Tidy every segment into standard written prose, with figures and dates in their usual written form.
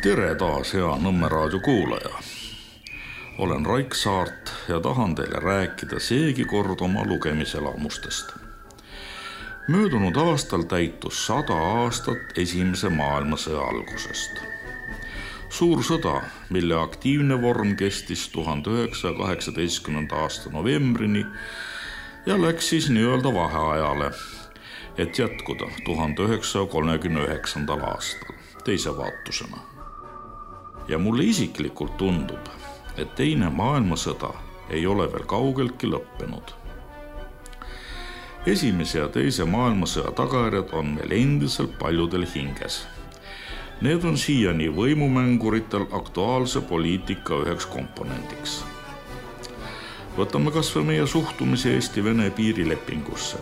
Tere taas, hea Nõmme raadio kuulaja. Olen Raik Saart ja tahan teile rääkida seegi kord oma lugemiselamustest. Möödunud aastal täitus 100 aastat Esimese maailmasõja algusest. Suur sõda, mille aktiivne vorm kestis 1918. aasta novembrini ja läks siis nii-öelda vaheajale, et jätkuda 1939. aastal teise vaatusena. Ja mulle isiklikult tundub, et teine maailmasõda ei ole veel kaugeltki lõppenud. Esimese ja teise maailmasõja tagajärjed on meil endiselt paljudel hinges. Need on siiani võimumänguritel aktuaalse poliitika üheks komponendiks. Võtame kas või meie suhtumise Eesti-Vene piirilepingusse.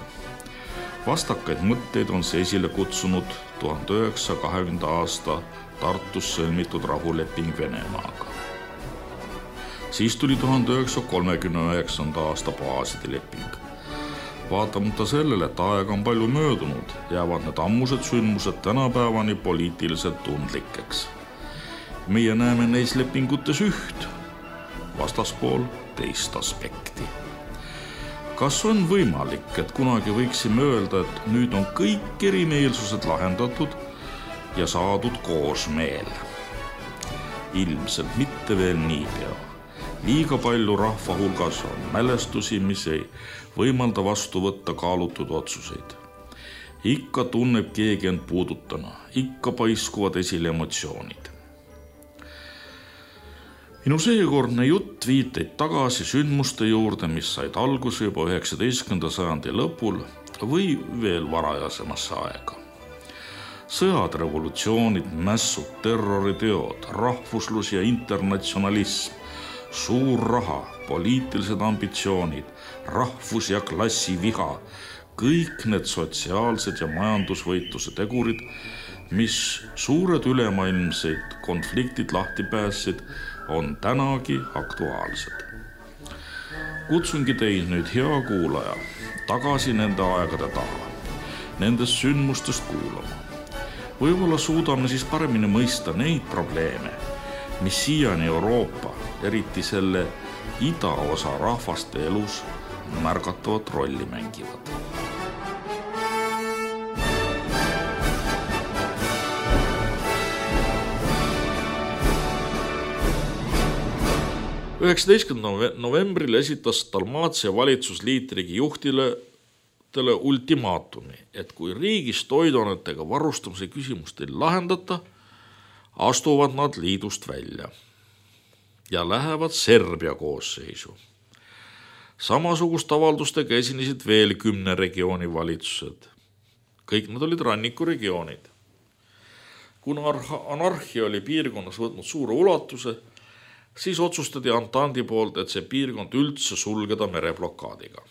Vastakaid mõtteid on see esile kutsunud 1920. aasta Tartus sõlmitud rahuleping Venemaaga. Siis tuli 1939. aasta baaside leping. Vaatamata sellele, et aega on palju möödunud, jäävad need ammused sündmused tänapäevani poliitiliselt tundlikeks. Meie näeme neis lepingutes üht, vastaspool teist aspekti. Kas on võimalik, et kunagi võiksime öelda, et nüüd on kõik erimeelsused lahendatud ja saadud koosmeel? Ilmselt mitte veel niipea. Liiga palju rahva hulgas on mälestusi, mis ei võimalda vastu võtta kaalutud otsuseid. Ikka tunneb keegi end puudutana, ikka paiskuvad esile emotsioonid. Minu seekordne jutt viiteid tagasi sündmuste juurde, mis said alguse juba 19. sajandi lõpul või veel varajasemasse aega. Sõjad, revolutsioonid, mässud, terroriteod, rahvuslus ja internatsionalism, suur raha, poliitilised ambitsioonid, rahvus- ja klassiviha, kõik need sotsiaalsed ja majandusvõitluse tegurid, mis suured ülemaailmseid konfliktid lahti päässid, on tänagi aktuaalsed. Kutsungi teid nüüd, hea kuulaja, tagasi nende aegade taha, nendest sündmustest kuulama. Võib-olla suudame siis paremini mõista neid probleeme, mis siiani Euroopa, eriti selle idaosa rahvaste elus märgatavat rolli mängivad. novembril esitas Dalmaatia valitsus liitriigi juhtidele ultimaatumi, et kui riigis toiduainetega varustamise küsimust ei lahendata, astuvad nad liidust välja ja lähevad Serbia koosseisu. Samasugust avaldustega esinesid veel 10 regiooni valitsused. Kõik nad olid rannikuregioonid. Kuna anarhia oli piirkonnas võtnud suure ulatuse, siis otsustati Antandi poolt, et see piirkond üldse sulgeda mereblokaadiga.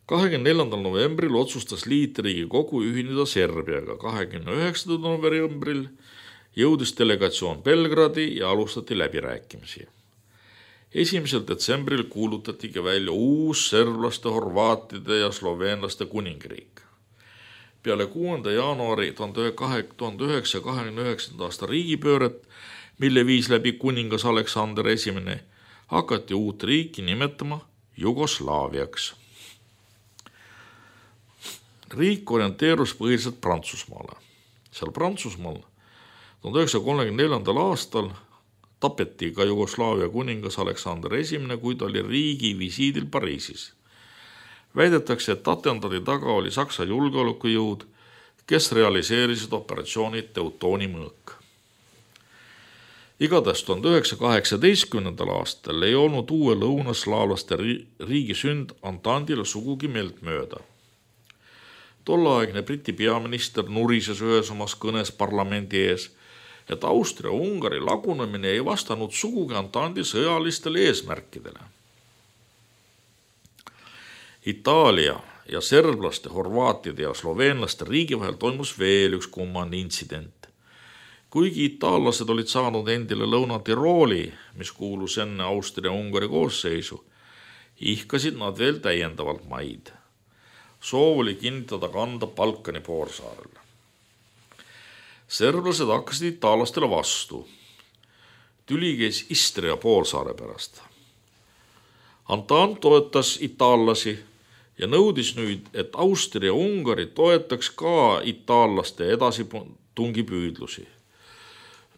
24. novembril otsustas liitriigi kogu ühineda Serbiaga. 29. novembril jõudis delegatsioon Belgradi ja alustati läbirääkimisi. 1. detsembril kuulutatigi välja uus serblaste, horvaatide ja sloveenlaste kuningriik. Peale 6. jaanuari 1929. aasta riigipööret, mille viis läbi kuningas Aleksander I, hakati uut riiki nimetama Jugoslaaviaks. Riik orienteerus põhiliselt Prantsusmaale. Seal Prantsusmaal 1934. aastal tapeti ka Jugoslaavia kuningas Aleksander I, kui ta oli riigi visiidil Pariisis. Väidetakse, et atentaadi taga oli Saksa julgeolekujõud, kes realiseerisid operatsiooni Teutooni mõõk. Igatahes 1918. aastal ei olnud uue lõunaslaavlaste riigi sünd Antandile sugugi meelt mööda. Tolleaegne Briti peaminister nurises ühes omas kõnes parlamendi ees, et Austria-Ungari lagunemine ei vastanud sugugi Antandi sõjalistele eesmärkidele. Itaalia ja serblaste, horvaatide ja sloveenlaste riigi vahel toimus veel üks kummane intsident. Kuigi itaallased olid saanud endile Lõuna-Tirooli, mis kuulus enne Austria-Ungari koosseisu, ihkasid nad veel täiendavalt maid. Soov oli kinnitada kanda Balkani poolsaarel. Serblased hakkasid itaallastele vastu. Tüli käis Istria poolsaare pärast. Antant toetas itaallasi ja nõudis nüüd, et Austria ja Ungari toetaks ka itaallaste edasitungipüüdlusi.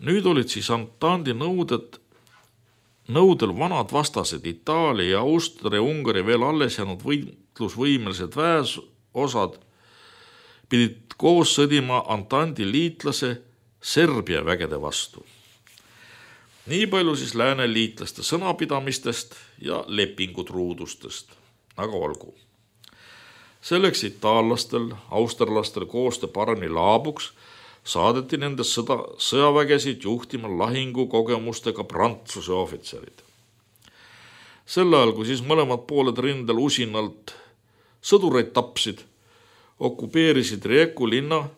Nüüd olid siis Antandi nõudel vanad vastased Itaalia ja Austria ja Ungari veel alles jäänud võitlusvõimelised väesosad pidid koos sõdima Antandi liitlase Serbia vägede vastu. Nii palju siis lääne liitlaste sõnapidamistest ja lepingutruudustest, aga olgu. Selleks itaallastel, austerlastel koostöö paremini laabuks, saadeti nende sõjavägesid juhtima lahingukogemustega Prantsuse ohvitserid. Sel ajal, kui siis mõlemad pooled rindel usinalt sõdureid tapsid, okupeerisid Rijeku linna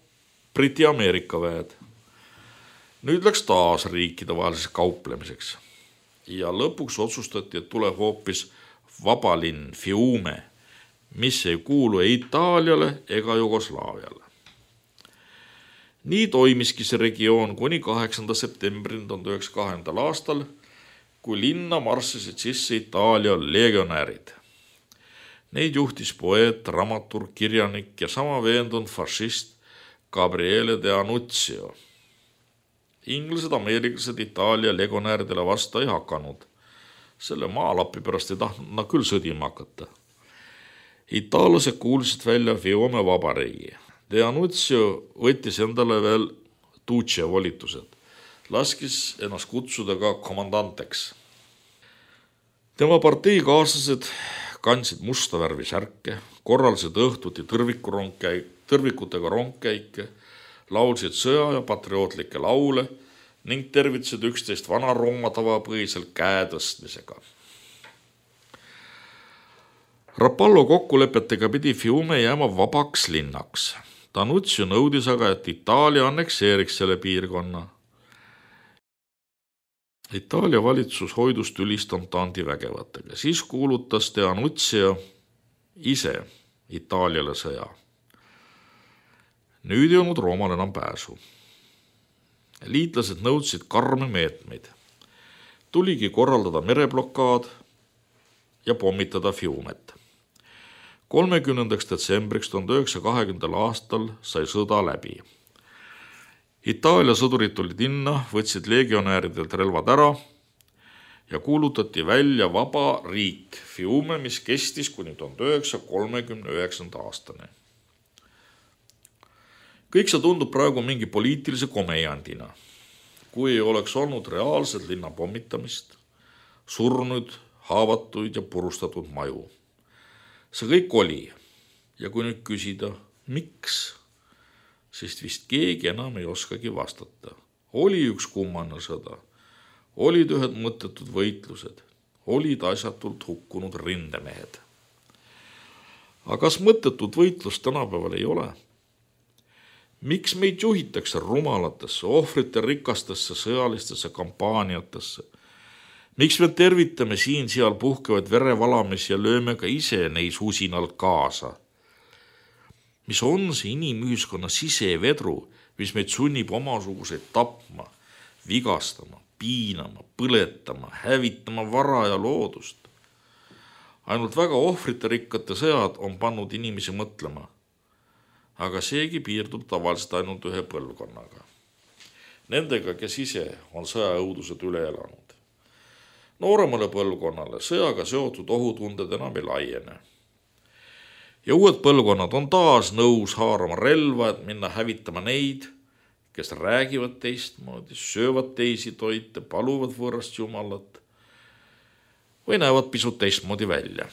Briti Ameerika väed. Nüüd läks taas riikide vaheliseks kauplemiseks ja lõpuks otsustati, et tuleb hoopis vabalinn Fiume, mis ei kuulu ei Itaaliale ega Jugoslaaviale. Nii toimiski see regioon kuni 8. septembrini 1902. aastal, kui linna marssisid sisse Itaalia legionäärid. Neid juhtis poeet, dramaturg, kirjanik ja sama veendunud fašist Gabriele de Annunzio. Inglased, ameeriklased Itaalia legionääridele vastu ei hakanud. Selle maalapi pärast ei tahtnud nad küll sõdima hakata. Itaallased kuulsid välja Fiume vabariigi. De Annunzio võttis endale veel Duce volitused. Laskis ennast kutsuda ka komandanteks. Tema parteikaaslased kandsid musta värvi särke, korraldasid õhtuti tõrvikutega rongkäike, laulsid sõja ja patriootlikke laule ning tervitasid üksteist Vana-Rooma tavapõhiselt käe tõstmisega. Rapallo kokkulepetega pidi Fiume jääma vabaks linnaks. D'Annunzio nõudis aga, et Itaalia annekseeriks selle piirkonna. Itaalia valitsus hoidus tülist Antandi vägevatega. Siis kuulutas D'Annunzio ise Itaaliale sõja. Nüüd ei olnud Roomal enam pääsu. Liitlased nõudsid karme meetmeid. Tuligi korraldada mereblokaad ja pommitada Fiumet. 30. detsembriks 1920. aastal sai sõda läbi. Itaalia sõdurid tulid linna, võtsid legionääridelt relvad ära ja kuulutati välja vaba riik Fiume, mis kestis kuni 1939. aastani. Kõik see tundub praegu mingi poliitilise komejandina, kui ei oleks olnud reaalset linna pommitamist, surnud, haavatuid ja purustatud maju. See kõik oli ja kui nüüd küsida, miks, siis vist keegi enam ei oskagi vastata. Oli üks kummane sõda, olid ühed mõttetud võitlused, olid asjatult hukkunud rindemehed. Aga kas mõttetud võitlust tänapäeval ei ole? Miks meid juhitakse rumalatesse, ohvrite rikastesse sõjalistesse kampaaniatesse? Miks me tervitame siin-seal puhkevaid verevalamisi ja lööme ka ise neis usinalt kaasa? Mis on see inimühiskonna sisevedru, mis meid sunnib omasuguseid tapma, vigastama, piinama, põletama, hävitama vara ja loodust? Ainult väga ohvrite rikkate sõjad on pannud inimesi mõtlema. Aga seegi piirdub tavaliselt ainult ühe põlvkonnaga. Nendega, kes ise on sõjaõudused üle elanud. Nooremale põlvkonnale sõjaga seotud ohutunded enam ei laiene. Ja uued põlvkonnad on taas nõus haarama relva, et minna hävitama neid, kes räägivad teistmoodi, söövad teisi toite, paluvad võõrast jumalat või näevad pisut teistmoodi välja.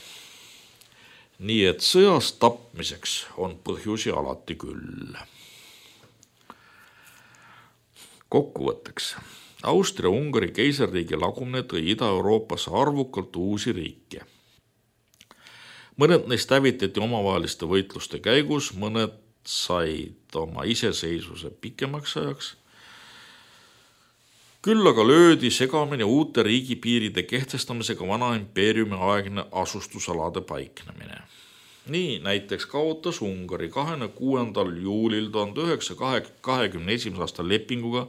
Nii et sõjas tapmiseks on põhjusi alati küll. Kokkuvõtteks. Austria-Ungari keisarriigi lagumine tõi Ida-Euroopasse arvukalt uusi riike. Mõned neist hävitati omavaheliste võitluste käigus, mõned said oma iseseisvuse pikemaks ajaks. Küll aga löödi segamini uute riigipiiride kehtestamisega vana impeeriumi aegne asustusalade paiknemine. Nii näiteks kaotas Ungari 26. juulil 1921. aasta lepinguga,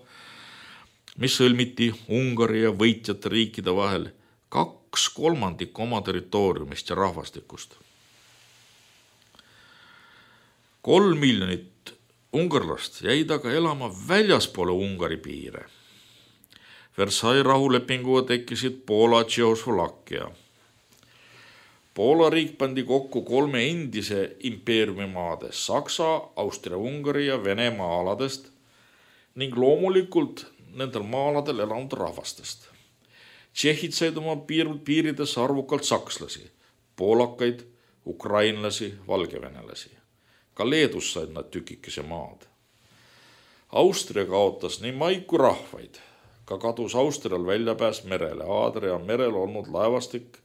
mis sõlmiti Ungari ja võitjate riikide vahel, 2/3 oma territooriumist ja rahvastikust. 3 miljonit ungarlast jäid aga elama väljaspoole Ungari piire. Versailles rahulepinguga tekkisid Poola, Tšehhoslovakkia. Poola riik pandi kokku 3 endise impeeriumi maade, Saksa, Austria-Ungari ja Venemaa aladest ning loomulikult nendel maa-aladel elanud rahvastest. Tšehhid said oma piirides arvukalt sakslasi, poolakaid, ukrainlasi, valgevenelasi. Ka Leedus said nad tükikese maad. Austria kaotas nii maid kui rahvaid. Ka kadus Austrial väljapääs merele. Aadria merel olnud laevastik,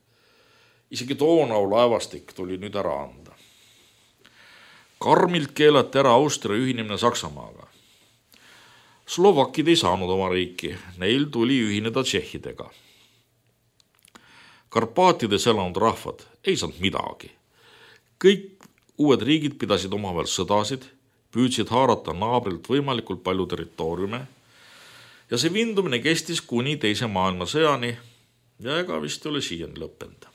isegi Donau laevastik tuli nüüd ära anda. Karmilt keelati ära Austria ühinemine Saksamaaga. Slovakid ei saanud oma riiki, neil tuli ühineda tšehhidega. Karpaatides elanud rahvad ei saanud midagi. Kõik uued riigid pidasid omavahel sõdasid, püüdsid haarata naabrilt võimalikult palju territooriume ja see vindumine kestis kuni teise maailmasõjani ja ega vist ei ole siiani lõppenud.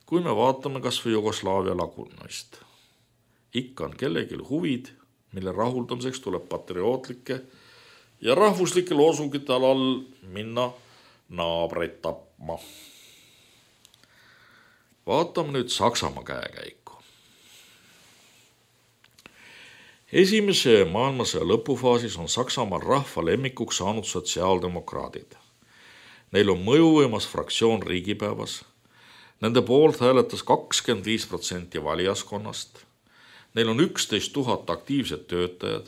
Kui me vaatame kas või Jugoslaavia lagunemist, ikka on kellelgi huvid, mille rahuldamiseks tuleb patriootlike ja rahvuslike loosungite alal minna naabreid tapma. Vaatame nüüd Saksamaa käekäiku. Esimese maailmasõja lõpufaasis on Saksamaal rahva lemmikuks saanud sotsiaaldemokraadid. Neil on mõjuvõimas fraktsioon riigipäevas. Nende poolt hääletas 25% valijaskonnast. Neil on 11 000 aktiivset töötajad.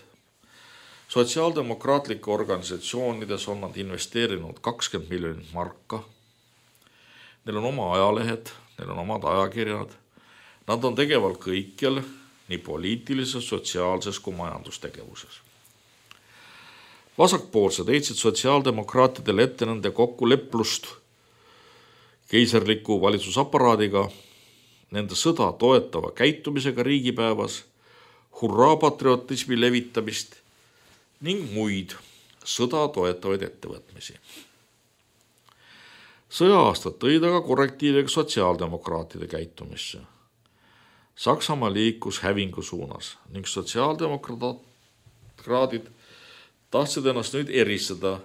Sotsiaaldemokraatlike organisatsioonides on nad investeerinud 20 miljonit marka. Neil on oma ajalehed, neil on omad ajakirjad. Nad on tegeval kõikjal, nii poliitilises, sotsiaalses kui majandustegevuses. Vasakpoolsed heitsid sotsiaaldemokraatidele ette nende kokkuleplust keisarliku valitsusaparaadiga, nende sõda toetava käitumisega riigipäevas, hurraapatriotismi levitamist ning muid sõda toetavaid ettevõtmisi. Sõja-aastad tõid aga korrektiiviga sotsiaaldemokraatide käitumisse. Saksamaa liikus hävingu suunas ning sotsiaaldemokraadid tahtsid ennast nüüd eristada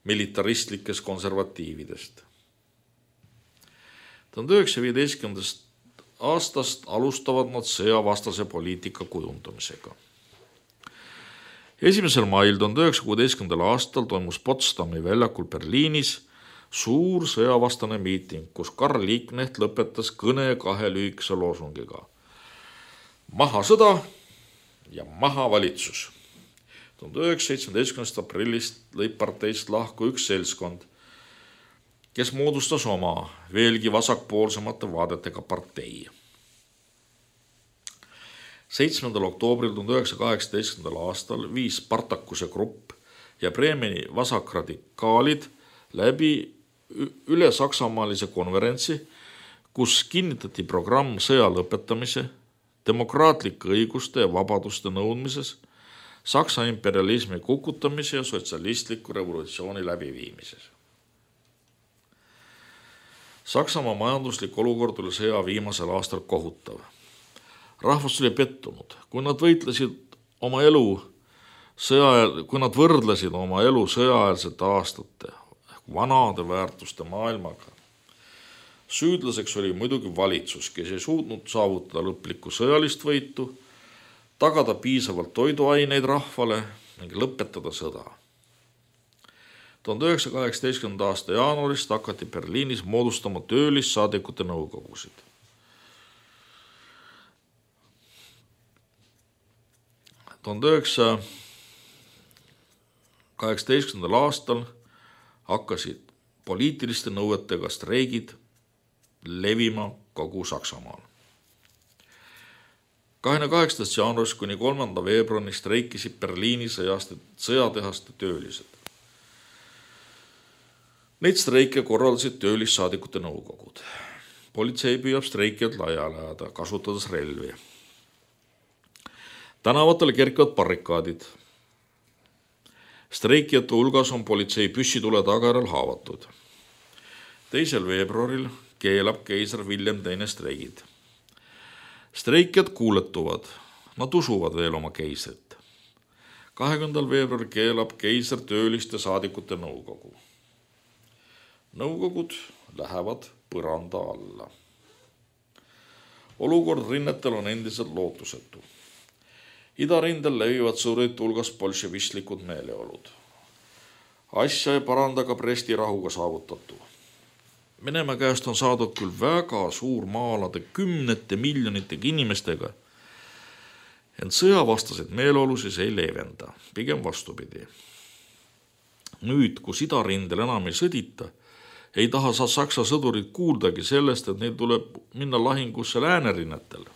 militaristlikest konservatiividest. 1915. aastast alustavad nad sõjavastase poliitika kujundamisega. 1. mail 1916. aastal toimus Potsdami väljakul Berliinis suur sõjavastane miiting, kus Karl Liebknecht lõpetas kõne 2 lühikese loosungiga. Maha sõda ja maha valitsus. 1917. aprillist lõi parteist lahku üks seltskond, kes moodustas oma veelgi vasakpoolsemate vaadetega partei. 7. oktoobril 1918. aastal viis Spartakuse grupp ja Bremeni vasakradikaalid läbi üle saksamaalise konverentsi, kus kinnitati programm sõja lõpetamise, demokraatlike õiguste ja vabaduste nõudmises, Saksa imperialismi kukutamise ja sotsialistliku revolutsiooni läbiviimises. Saksamaa majanduslik olukord oli sõja viimasel aastal kohutav. Rahvas oli pettunud, kui nad võrdlesid oma elu sõjaeelsete aastate vanade väärtuste maailmaga. Süüdlaseks oli muidugi valitsus, kes ei suutnud saavutada lõplikku sõjalist võitu, tagada piisavalt toiduaineid rahvale ning lõpetada sõda. 1918. aasta jaanuarist hakati Berliinis moodustama töölissaadikute nõukogusid. ...1918. aastal hakkasid poliitiliste nõuetega streigid levima kogu Saksamaal. 28. jaanuarist kuni 3. veebruarini streikisid Berliini sõjatehaste töölised. Neid streike korraldasid töölissaadikute nõukogud. Politsei püüab streikijad laiali ajada, kasutades relvi. Tänavatel kerkivad barrikaadid. Streikijate hulgas on politsei püssitule tagajärjel haavatud. 2. veebruaril keelab keiser William II streigid. Streikijad kuuletuvad, nad usuvad veel oma keisrit. 20. veebruaril keelab keiser tööliste saadikute nõukogu. Nõukogud lähevad põranda alla. Olukord rinnetel on endiselt lootusetu. Idarindel levivad sõdurite hulgas bolševistlikud meeleolud. Asja ei paranda ka Bresti rahuga saavutatu. Venemaa käest on saadud küll väga suur maa-alade 10 miljonitega inimestega, ent sõjavastaseid meeleolusid ei leevenda, pigem vastupidi. Nüüd, kus idarindel enam ei sõdita, ei taha Saksa sõdurid kuuldagi sellest, et neil tuleb minna lahingusse läänerinnetel.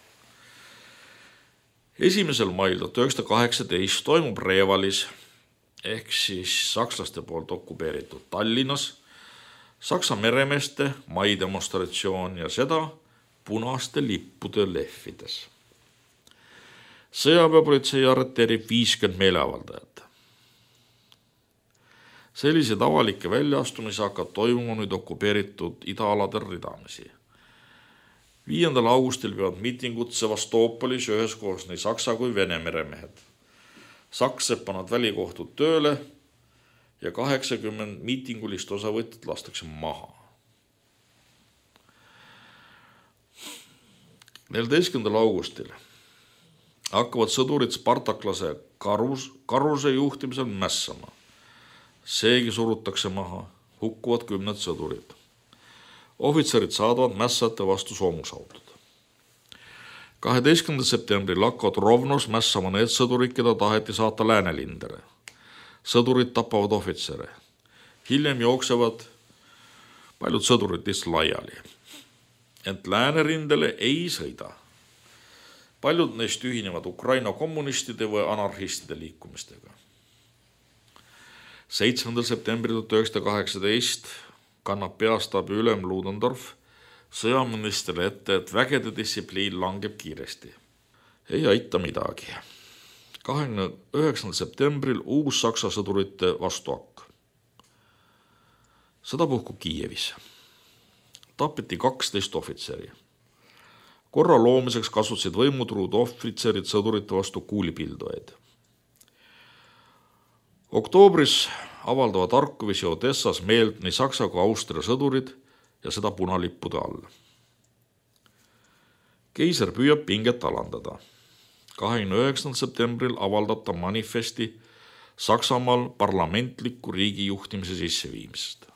1. mail 1918 toimub Revalis ehk siis sakslaste poolt okupeeritud Tallinnas Saksa meremeeste maidemonstratsioon ja seda punaste lippude lehvides. Sõjaväepolitsei arreteerib 50 meeleavaldajat. Selliseid avalikke väljaastumisi hakkab toimuma nüüd okupeeritud idaaladel ridamisi. 5. augustil peavad miitingud Sevastoopolis üheskoos nii Saksa kui Vene meremehed. Saksed pannud välikohtud tööle ja 80 miitingulist osavõtjat lastakse maha. 14. augustil hakkavad sõdurid spartaklase Karuse juhtimisel mässama. Seegi surutakse maha, hukkuvad 10 sõdurid. Ohvitserid saadavad mässajate vastu soomusautod. 12. septembril hakkavad Rovnos mässama need sõdurid, keda taheti saata läänelindere. Sõdurid tapavad ohvitsere. Hiljem jooksevad paljud sõdurid lihtsalt laiali. Ent läänerindele ei sõida. Paljud neist ühinevad Ukraina kommunistide või anarhistide liikumistega. 7. septembril 1918 kannab peastaabi ülem Ludendorff sõjaministrile ette, et vägede distsipliin langeb kiiresti. Ei aita midagi. 29. septembril uus Saksa sõdurite vastuakk. Sõda puhkub Kiievis. Tapeti 12 ohvitseri. Korra loomiseks kasutasid võimutruud ohvitserid sõdurite vastu kuulipildujaid. Oktoobris avaldavad Harkovis ja Odessas meelt nii Saksa kui Austria sõdurid ja seda punalippude all. Keiser püüab pinget alandada. 29. septembril avaldab ta manifesti Saksamaal parlamentliku riigi juhtimise sisseviimisest.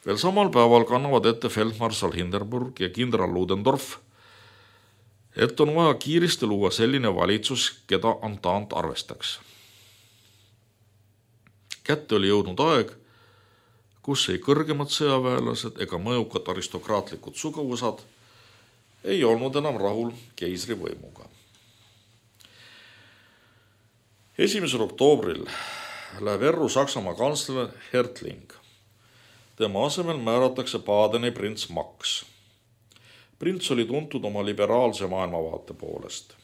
Veel samal päeval kannavad ette feldmarssal Hindenburg ja kindral Ludendorff, et on vaja kiiresti luua selline valitsus, keda Entente arvestaks. Kätte oli jõudnud aeg, kus ei kõrgemad sõjaväelased ega mõjukad aristokraatlikud suguvõsad ei olnud enam rahul keisri võimuga. 1. oktoobril läheb erru Saksamaa kantsler Hertling. Tema asemel määratakse Badeni prints Max. Prints oli tuntud oma liberaalse maailmavaate poolest.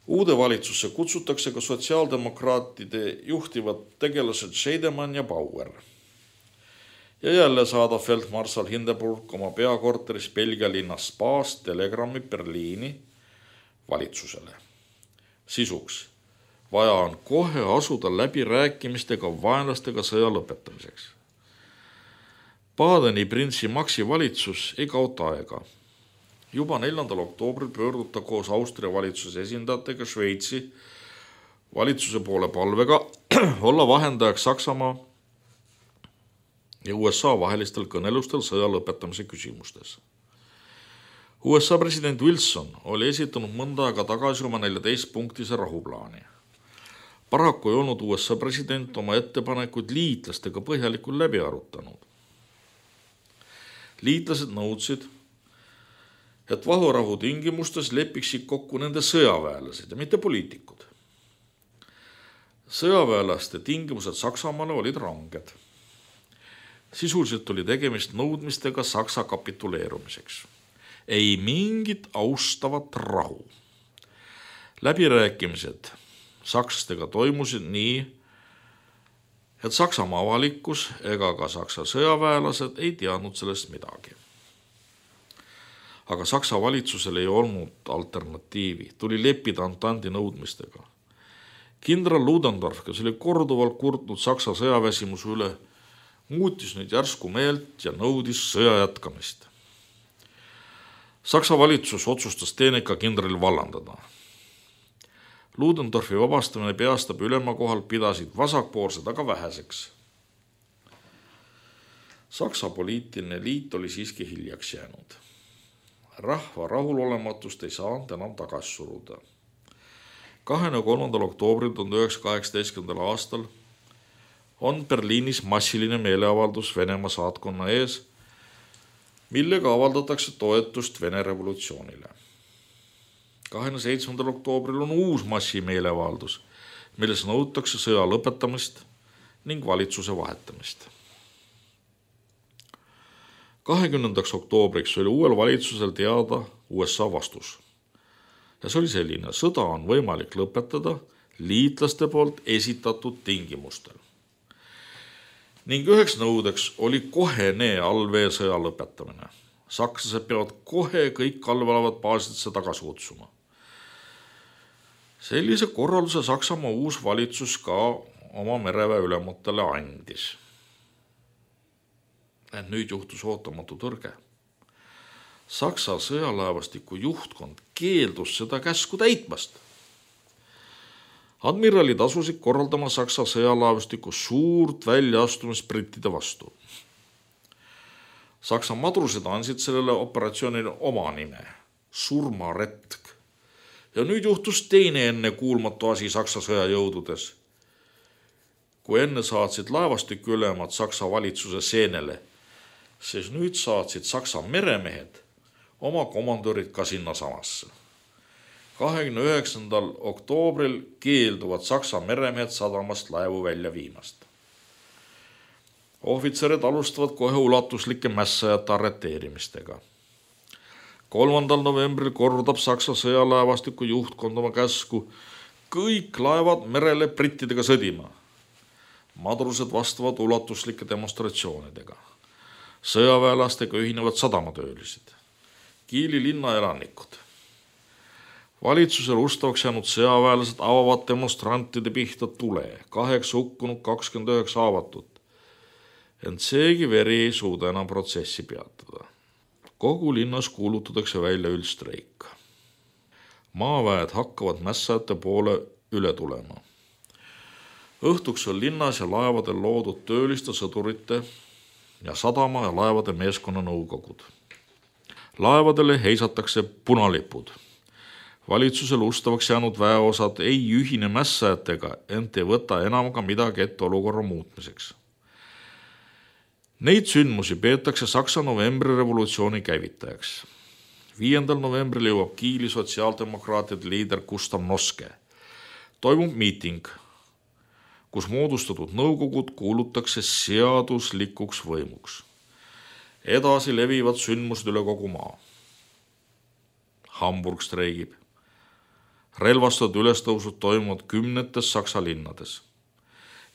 Uude valitsusse kutsutakse ka sotsiaaldemokraatide juhtivad tegelased Scheidemann ja Bauer. Ja jälle saadab feldmarssal Hindenburg oma peakorteris Belgia linnas Spaas telegrammi Berliini valitsusele. Sisuks, vaja on kohe asuda läbi rääkimistega vaenlastega sõja lõpetamiseks. Badeni printsi Maxi valitsus ei kaota aega. Juba 4. oktoobril pöörduta koos Austria valitsuse esindajatega Šveitsi valitsuse poole palvega olla vahendajaks Saksamaa ja USA vahelistel kõnelustel sõja lõpetamise küsimustes. USA president Wilson oli esitanud mõnda aega tagasi oma 14-punktise rahuplaani. Paraku ei olnud USA president oma ettepanekuid liitlastega põhjalikult läbi arutanud. Liitlased nõudsid, et vahurahu tingimustes lepiksid kokku nende sõjaväelased ja mitte poliitikud. Sõjaväelaste tingimused Saksamaale olid ranged. Sisuliselt oli tegemist nõudmistega Saksa kapituleerumiseks. Ei mingit austavat rahu. Läbirääkimised sakslastega toimusid nii, et Saksamaa avalikkus ega ka Saksa sõjaväelased ei teadnud sellest midagi. Aga Saksa valitsusel ei olnud alternatiivi, tuli leppida Antandi nõudmistega. Kindral Ludendorff, kes oli korduvalt kurtnud Saksa sõjaväsimuse üle, muutis nüüd järsku meelt ja nõudis sõja jätkamist. Saksa valitsus otsustas teeneka kindrali vallandada. Ludendorffi vabastamine peastabi ülema kohal pidasid vasakpoolsed aga väheseks. Saksa poliitiline liit oli siiski hiljaks jäänud. Rahva rahulolematust ei saanud enam tagasi suruda. 23. oktoobril 1918. aastal on Berliinis massiline meeleavaldus Venemaa saatkonna ees, millega avaldatakse toetust Vene revolutsioonile. 27. oktoobril on uus massimeeleavaldus, milles nõutakse sõja lõpetamist ning valitsuse vahetamist. 20. oktoobriks oli uuel valitsusel teada USA vastus. Ja see oli selline, sõda on võimalik lõpetada liitlaste poolt esitatud tingimustel. Ning üheks nõudeks oli kohene allveesõja lõpetamine. Sakslased peavad kohe kõik allveelevad baasidesse tagasi kutsuma. Sellise korralduse Saksamaa uus valitsus ka oma mereväe ülematele andis. Nüüd juhtus ootamatu tõrge. Saksa sõjalaevastiku juhtkond keeldus seda käsku täitmast. Admiralid asusid korraldama Saksa sõjalaevastiku suurt väljaastumist brittide vastu. Saksa madrused andsid sellele operatsioonile oma nime, surmaretk. Ja nüüd juhtus teine ennekuulmatu asi Saksa sõjajõududes. Kui enne saatsid laevastiku ülemad Saksa valitsuse seenele, siis nüüd saatsid Saksa meremehed oma komandörid ka sinna samasse. 29. oktoobril keelduvad Saksa meremehed sadamast laevu välja viimast. Ohvitserid alustavad kohe ulatuslike mässajate arreteerimistega. 3. novembril kordab Saksa sõjalaevastiku juhtkond oma käsku kõik laevad merele brittidega sõdima. Madrused vastavad ulatuslike demonstratsioonidega. Sõjaväelastega ühinevad sadamatöölised, Kiili linna elanikud. Valitsusel ustavaks jäänud sõjaväelased avavad demonstrantide pihta tule, 8 hukkunud, 29 haavatut. Ent seegi veri ei suuda enam protsessi peatada. Kogu linnas kuulutatakse välja üldstreik. Maaväed hakkavad mässajate poole üle tulema. Õhtuks on linnas ja laevadel loodud tööliste sõdurite ja sadama ja laevade meeskonna nõukogud. Laevadele heisatakse punalipud. Valitsusel ustavaks jäänud väeosad ei ühine mässajatega, ent ei võta enam ka midagi ette olukorra muutmiseks. Neid sündmusi peetakse Saksa novembrirevolutsiooni käivitajaks. 5. novembril jõuab Kiili sotsiaaldemokraatide liider Gustav Noske. Toimub miiting, kus moodustatud nõukogud kuulutakse seaduslikuks võimuks. Edasi levivad sündmused üle kogu maa. Hamburg streigib. Relvastatud ülestõusud toimuvad 10 Saksa linnades.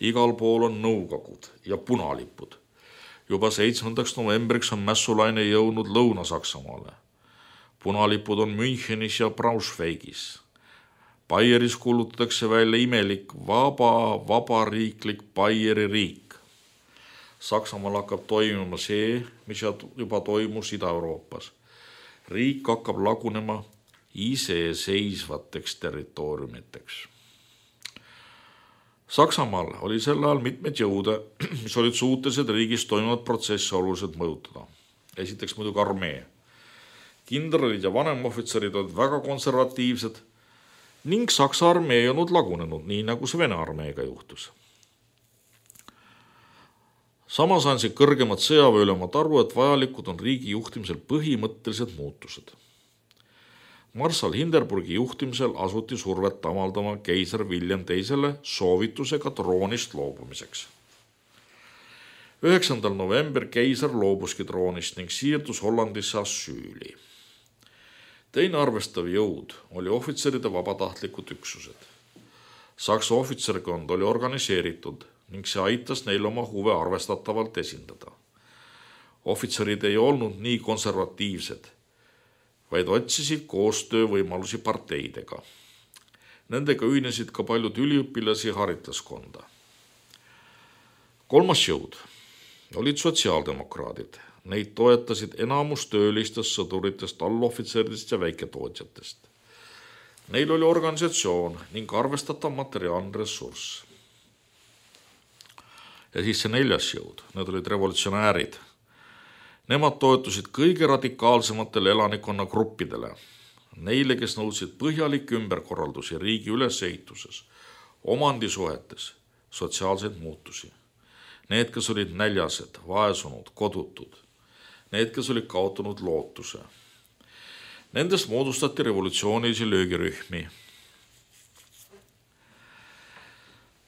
Igal pool on nõukogud ja punalipud. Juba 7. novembriks on mässulaine jõudnud Lõuna-Saksamaale. Punalipud on Münchenis ja Braunschweigis. Baieris kuulutatakse välja imelik vabariiklik Baieri riik. Saksamaal hakkab toimuma see, mis juba toimus Ida-Euroopas. Riik hakkab lagunema iseseisvateks territooriumiteks. Saksamaal oli sel ajal mitmeid jõude, mis olid suutelised riigis toimuvad protsessi oluliselt mõjutada. Esiteks muidugi armee. Kindralid ja vanemohvitserid olid väga konservatiivsed ning Saksa armee ei olnud lagunenud, nii nagu see Vene armeega juhtus. Samas andsid kõrgemad sõjaväeülemad aru, et vajalikud on riigi juhtimisel põhimõttelised muutused. Marssal Hindenburgi juhtimisel asuti survet avaldama keiser William II soovitusega troonist loobumiseks. 9. november keiser loobuski troonist ning siirdus Hollandisse asüüli. Teine arvestav jõud oli ohvitseride vabatahtlikud üksused. Saksa ohvitserkond oli organiseeritud ning see aitas neil oma huve arvestatavalt esindada. Ohvitserid ei olnud nii konservatiivsed, vaid otsisid koostöövõimalusi parteidega. Nendega ühinesid ka paljud üliõpilasi haritlaskonda. Kolmas jõud olid sotsiaaldemokraadid. Neid toetasid enamus töölistest, sõduritest, allohvitseridest ja väiketootjatest. Neil oli organisatsioon ning arvestatav materiaalne ressurss. Ja siis see neljas jõud, need olid revolutsionäärid. Nemad toetusid kõige radikaalsematele elanikkonnagruppidele, neile, kes nõudsid põhjalikke ümberkorraldusi riigi ülesehituses, omandisuhetes, sotsiaalseid muutusi. Need, kes olid näljased, vaesunud, kodutud, need, kes olid kaotanud lootuse. Nendest moodustati revolutsioonilisi löögirühmi.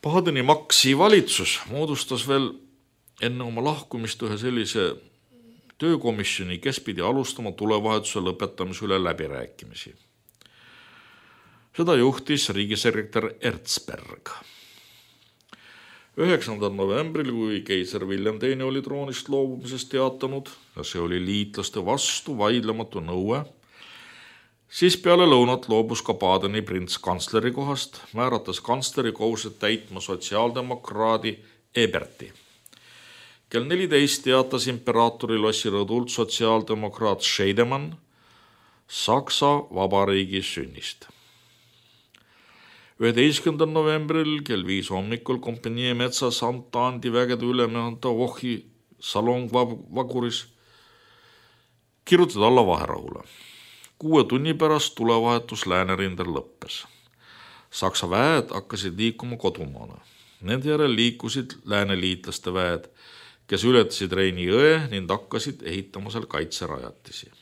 Badeni-Maxi valitsus moodustas veel enne oma lahkumist ühe sellise töökomisjoni, kes pidi alustama tulevahetuse lõpetamise üle läbirääkimisi. Seda juhtis riigisekretär Erzberg. 9. novembril, kui keiser William II oli troonist loobumisest teatanud ja see oli liitlaste vastu vaidlematu nõue, siis peale lõunat loobus ka Badeni prints kantsleri kohast, määrates kantsleri kohused täitma sotsiaaldemokraadi Eberti. Kell 14 teatas imperaatori lossi rõdult sotsiaaldemokraat Scheidemann Saksa Vabariigi sünnist. 11. novembril kell 5 hommikul kompanii metsas Antandi vägede ülemjuhataja Vohi salongvaguris kirjutati alla vaherahule. 6 tunni pärast tulevahetus läänerindel lõppes. Saksa väed hakkasid liikuma kodumaale. Nende järel liikusid lääneliitlaste väed, kes ületasid Reini jõe ning hakkasid ehitama seal kaitserajatisi.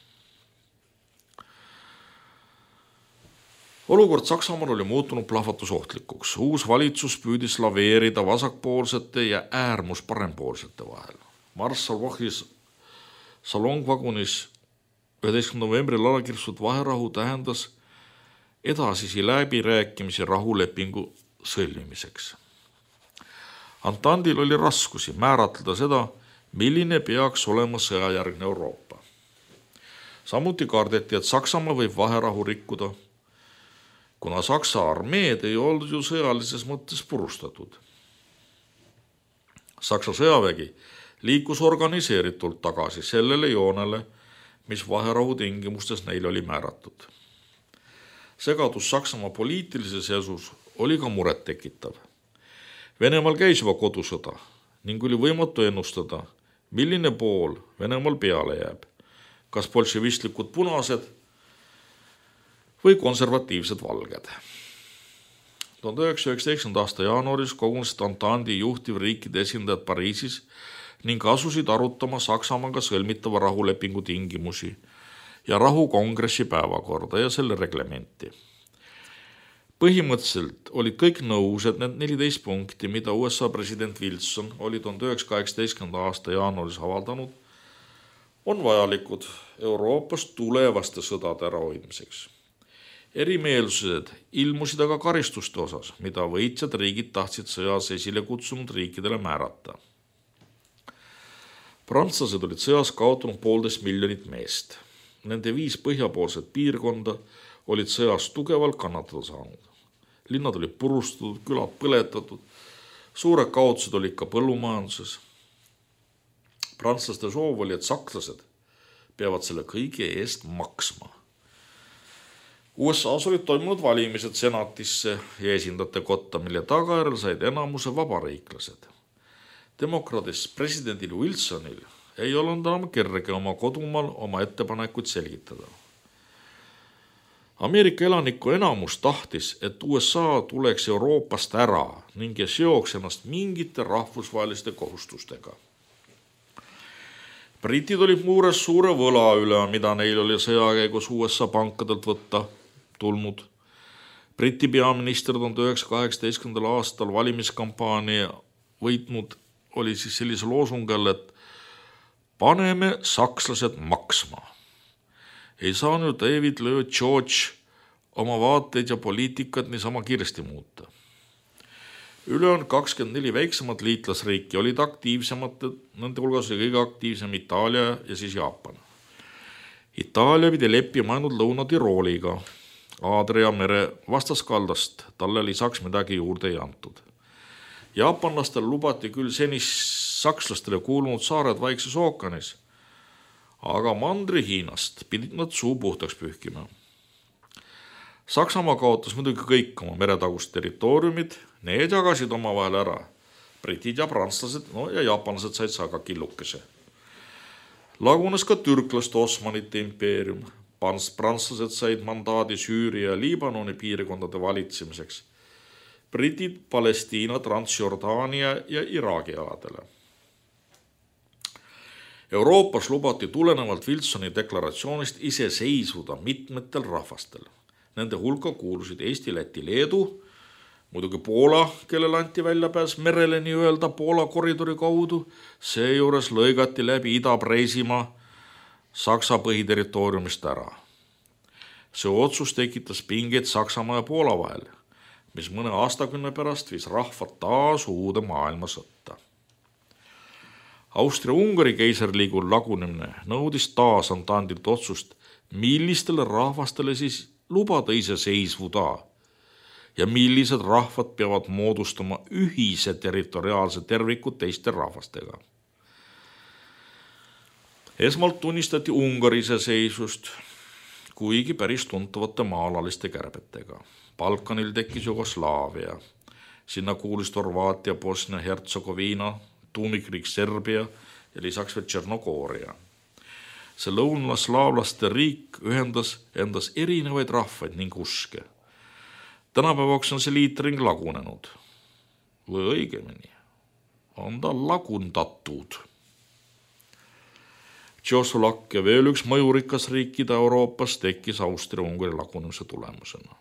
Olukord Saksamaal oli muutunud plahvatusohtlikuks. Uus valitsus püüdis laveerida vasakpoolsete ja äärmus parempoolsete vahel. Marssal Vohis salongvagunis 11. novembril alakirjutatud vaherahu tähendas edasisi läbirääkimisi rahulepingu sõlmimiseks. Antandil oli raskusi määratleda seda, milline peaks olema sõjajärgne Euroopa. Samuti kardeti, et Saksamaa võib vaherahu rikkuda, kuna Saksa armeed ei olnud ju sõjalises mõttes purustatud. Saksa sõjavägi liikus organiseeritult tagasi sellele joonele, mis vaherahu tingimustes neil oli määratud. Segadus Saksamaa poliitilises esus oli ka muret tekitav. Venemaal käis juba kodusõda ning oli võimatu ennustada, milline pool Venemaal peale jääb, kas bolševistlikud punased või konservatiivsed valged. 1919. aasta jaanuaris kogunesid Antandi juhtivriikide esindajad Pariisis ning asusid arutama Saksamaaga sõlmitava rahulepingu tingimusi ja rahukongressi päevakorda ja selle reglementi. Põhimõtteliselt olid kõik nõus, et need 14 punkti, mida USA president Wilson oli 1918. aasta jaanuaris avaldanud, on vajalikud Euroopas tulevaste sõdade ärahoidmiseks. Erimeelsused ilmusid aga karistuste osas, mida võitjad riigid tahtsid sõjas esile kutsunud riikidele määrata. Prantslased olid sõjas kaotanud 1,5 miljonit meest. Nende 5 põhjapoolset piirkonda olid sõjas tugevalt kannatada saanud. Linnad olid purustatud, külad põletatud, suured kaotused olid ka põllumajanduses. Prantslaste soov oli, et sakslased peavad selle kõige eest maksma. USA-s olid toimunud valimised senatisse ja esindajate kotta, mille tagajärjel said enamuse vabariiklased. Demokraadist presidendil Wilsonil ei olnud enam kerge oma kodumaal oma ettepanekuid selgitada. Ameerika elaniku enamus tahtis, et USA tuleks Euroopast ära ning seoks ennast mingite rahvusvaheliste kohustustega. Britid olid muures suure võla üle, mida neil oli sõja käigus USA pankadelt võtta tulnud. Briti peaminister 1918. aastal valimiskampaania võitnud oli siis sellise loosungi all, et paneme sakslased maksma. Ei saanud David Lloyd George oma vaateid ja poliitikat niisama kiiresti muuta. Ülejäänud 24 väiksemat liitlasriiki olid aktiivsemad, nende hulgas oli kõige aktiivsem Itaalia ja siis Jaapan. Itaalia pidi leppima ainult Lõuna-Tirooliga, Aadria mere vastaskaldast talle lisaks midagi juurde ei antud. Jaapanlastel lubati küll senist sakslastele kuulunud saared Vaikses ookeanis, aga Mandri-Hiinast pidid nad suu puhtaks pühkima. Saksamaa kaotas muidugi kõik oma meretagust territooriumid, need jagasid omavahel ära. Britid ja prantslased, ja jaapanlased said saga killukese. Lagunes ka türklaste Osmanite impeerium. Prantslased said mandaadi Süüria ja Liibanoni piirkondade valitsemiseks. Britid Palestiina, Transjordaania ja Iraagi aladele. Euroopas lubati tulenevalt Wilsoni deklaratsioonist ise seisvuda mitmetel rahvastel. Nende hulka kuulusid Eesti, Läti, Leedu, muidugi Poola, kellel anti väljapääs merele nii öelda Poola koridori kaudu, seejuures lõigati läbi Ida-Preisimaa Saksa põhiterritooriumist ära. See otsus tekitas pingeid Saksamaa ja Poola vahel, mis mõne aastakümne pärast viis rahvad taas uude maailmasõtta. Austria-Ungari keisriliigu lagunemine nõudis taas antandilt otsust, millistele rahvastele siis lubada ise seisvuda ja millised rahvad peavad moodustama ühise territoriaalse terviku teiste rahvastega. Esmalt tunnistati Ungari iseseisvust, kuigi päris tuntavate maalaliste kärbetega. Balkanil tekkis Jugoslaavia, sinna kuulus Horvaatia, Bosnia, Hertsegoviina, tuumikriik Serbia ja lisaks veel Tšernogooria. See lõunaslaavlaste riik ühendas endas erinevaid rahvaid ning uske. Tänapäevaks on see liitring lagunenud. Või õigemini, on ta lagundatud. Tšehhoslovakkia veel üks mõjurikas riik Ida-Euroopas tekkis Austria-Ungari lagunemise tulemusena.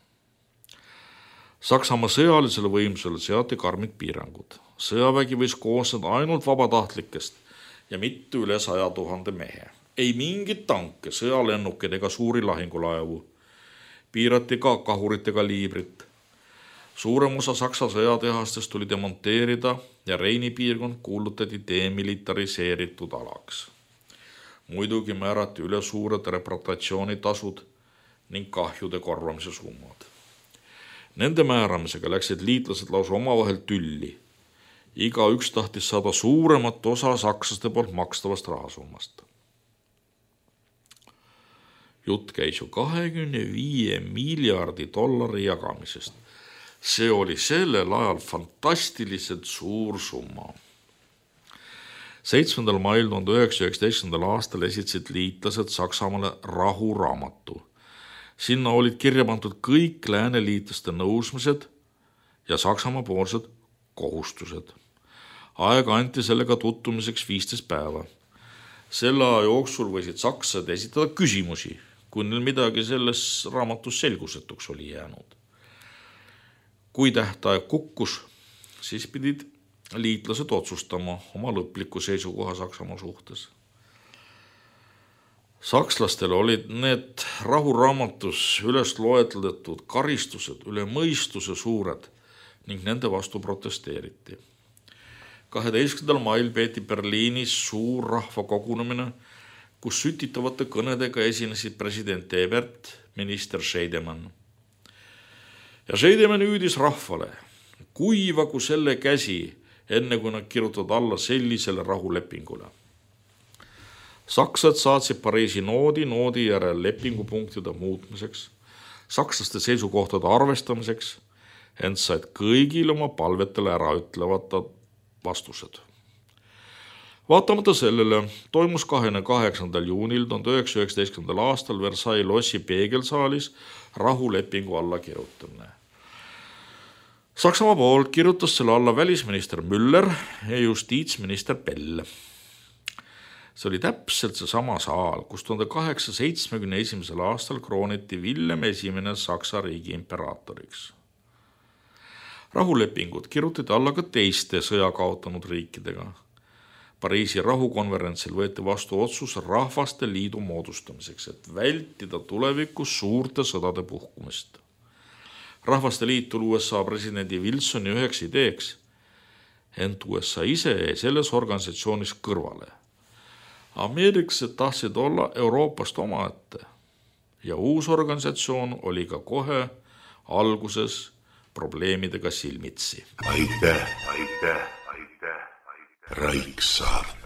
Saksamaa sõjalisele võimsusele seati karmid piirangud. Sõjavägi võis koosneda ainult vabatahtlikest ja mitte üle 100 000 mehe. Ei mingit tanke, sõjalennukid ega suuri lahingulaevu. Piirati ka kahuritega liibrit. Suurem osa Saksa sõjatehastest tuli demonteerida ja Reini piirkond kuulutati demilitariseeritud alaks. Muidugi määrati üle suured repatriatsioonitasud ning kahjude korvamise summad. Nende määramisega läksid liitlased lausa omavahel tülli. Iga üks tahtis saada suuremat osa sakslaste poolt makstavast rahasummast. Jutt käis ju 25 miljardi dollari jagamisest. See oli sellel ajal fantastiliselt suur summa. 7. mail 1919. aastal esitasid liitlased Saksamaale rahuraamatu. Sinna olid kirja pandud kõik lääneliitlaste nõusmised ja Saksamaa poolsed kohustused. Aega anti sellega tutvumiseks 15 päeva. Selle aja jooksul võisid sakslased esitada küsimusi, kui neil midagi selles raamatus selgusetuks oli jäänud. Kui tähtaeg kukkus, siis pidid liitlased otsustama oma lõpliku seisukoha Saksamaa suhtes. Sakslastel olid need rahuraamatus üles loetletud karistused üle mõistuse suured ning nende vastu protesteeriti. 12. mail peeti Berliinis suur rahvakogunemine, kus sütitavate kõnedega esinesid president Ebert, minister Scheidemann. Ja Scheidemann hüüdis rahvale, kuivagu selle käsi, enne kui nad kirjutavad alla sellisele rahulepingule. Saksad saatsid Pariisi noodi järel lepingupunktide muutmiseks, sakslaste seisukohtade arvestamiseks, ent said kõigil oma palvetele ära ütlevad vastused. Vaatamata sellele toimus 28. juunil 1919. aastal Versailles lossi peegelsaalis rahulepingu alla kirjutamine. Saksamaa poolt kirjutas selle alla välisminister Müller ja justiitsminister Pell. See oli täpselt seesama saal, kus 1871. aastal krooniti Villem I Saksa riigi imperaatoriks. Rahulepingud kirjutati alla ka teiste sõja kaotanud riikidega. Pariisi rahukonverentsil võeti vastu otsus Rahvaste Liidu moodustamiseks, et vältida tulevikus suurte sõdade puhkumist. Rahvaste Liit tuli USA presidendi Wilsoni üheks ideeks, ent USA ise jäi selles organisatsioonis kõrvale. Ameeriklased tahtsid olla Euroopast omaette ja uus organisatsioon oli ka kohe alguses probleemidega silmitsi. Aitäh. Raiksaart.